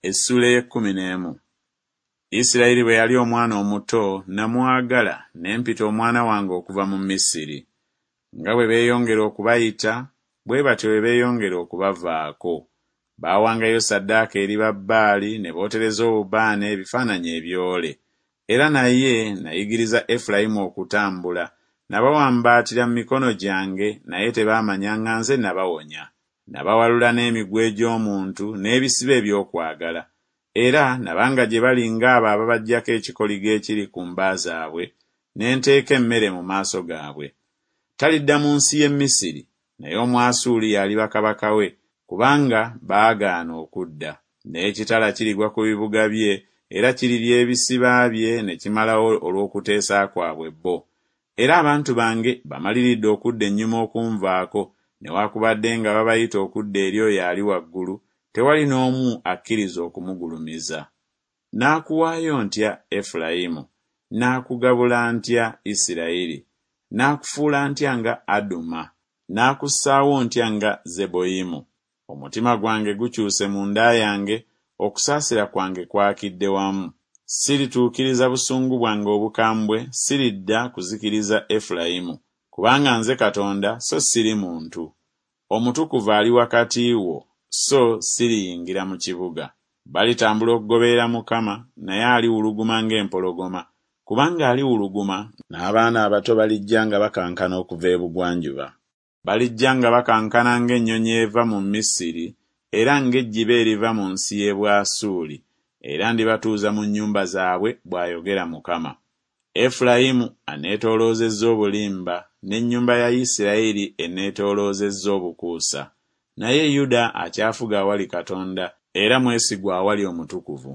Essuula ey'ekkumi n'emu. Isirayiri bwe yali omwana omuto, nnamwagala, ne mpita omwana wange okuva mu Misiri. Nga bwe beeyongera okubayita, bwe batyo bwe beeyongera okubavaako. Baawangayo ssaddaaka eri Babbaali ne bootereza obubaane ebifaananyi ebyole. Era naye nayigiriza Efulayimu okutambula, Nabawambaatira mu mikono gyange, naye tebaamanya nga nze nabawonya. Nabawalula n'emiguwa egy'omuntu n'ebisiba eby'okwagala, era nabanga gye bali ng'abo ababaggyako ekikoligo ekiri ku mba zaabwe, ne nteeka emmere mu maaso gaabwe. Talidda mu nsi y'e Misiri, naye Omwasuuli y'aliba kabaka we, kubanga baagaana okudda. N'ekitala kirigwa ku bibuga bye, era kirirya ebisiba bye ne kimalawo olw'okuteesa kwabwe bo. Era abantu bange bamaliridde okudda ennyuma okunvaako, newakubadde nga babayita okudda eri oyo ali waggulu, tewali n'omu akkiriza okumugulumiza. Naakuwaayo ntya, Efulayimu? Naakugabula ntya, Isiraeri? Naakufuula ntya nga Aduma? Naakussaawo ntya nga Zeboyimu? Omutima gwange gukyuse munda yange, okusaasira kwange kwakidde wamu. Sirituukiriza busungu bwange obukambwe, siridda kuzikiriza Efulayimu, kubanga nze Katonda so siri muntu, Omutukuvu ali wakati wo, so siriyingira mu kibuga. Balitambula okugoberera Mukama, naye aliwuluguma ng'empologoma, kubanga aliwuluguma, N'abaana abato balijja nga bakankana okuva ebugwanjuba. Balijja nga bakankana ng'ennyonyi eva mu Misiri, era ng'ejjiba eriva mu nsi y'e Bwasuli, era ndibatuuza mu nnyumba zaabwe, bw'ayogera Mukama. Efulayimu anneetooloozezza obulimba, n'ennyumba ya Isiraeri enneetooloozezza obukuusa, naye Yuda akyafuga awali Katonda, era mwesigwa awali Omutukuvu.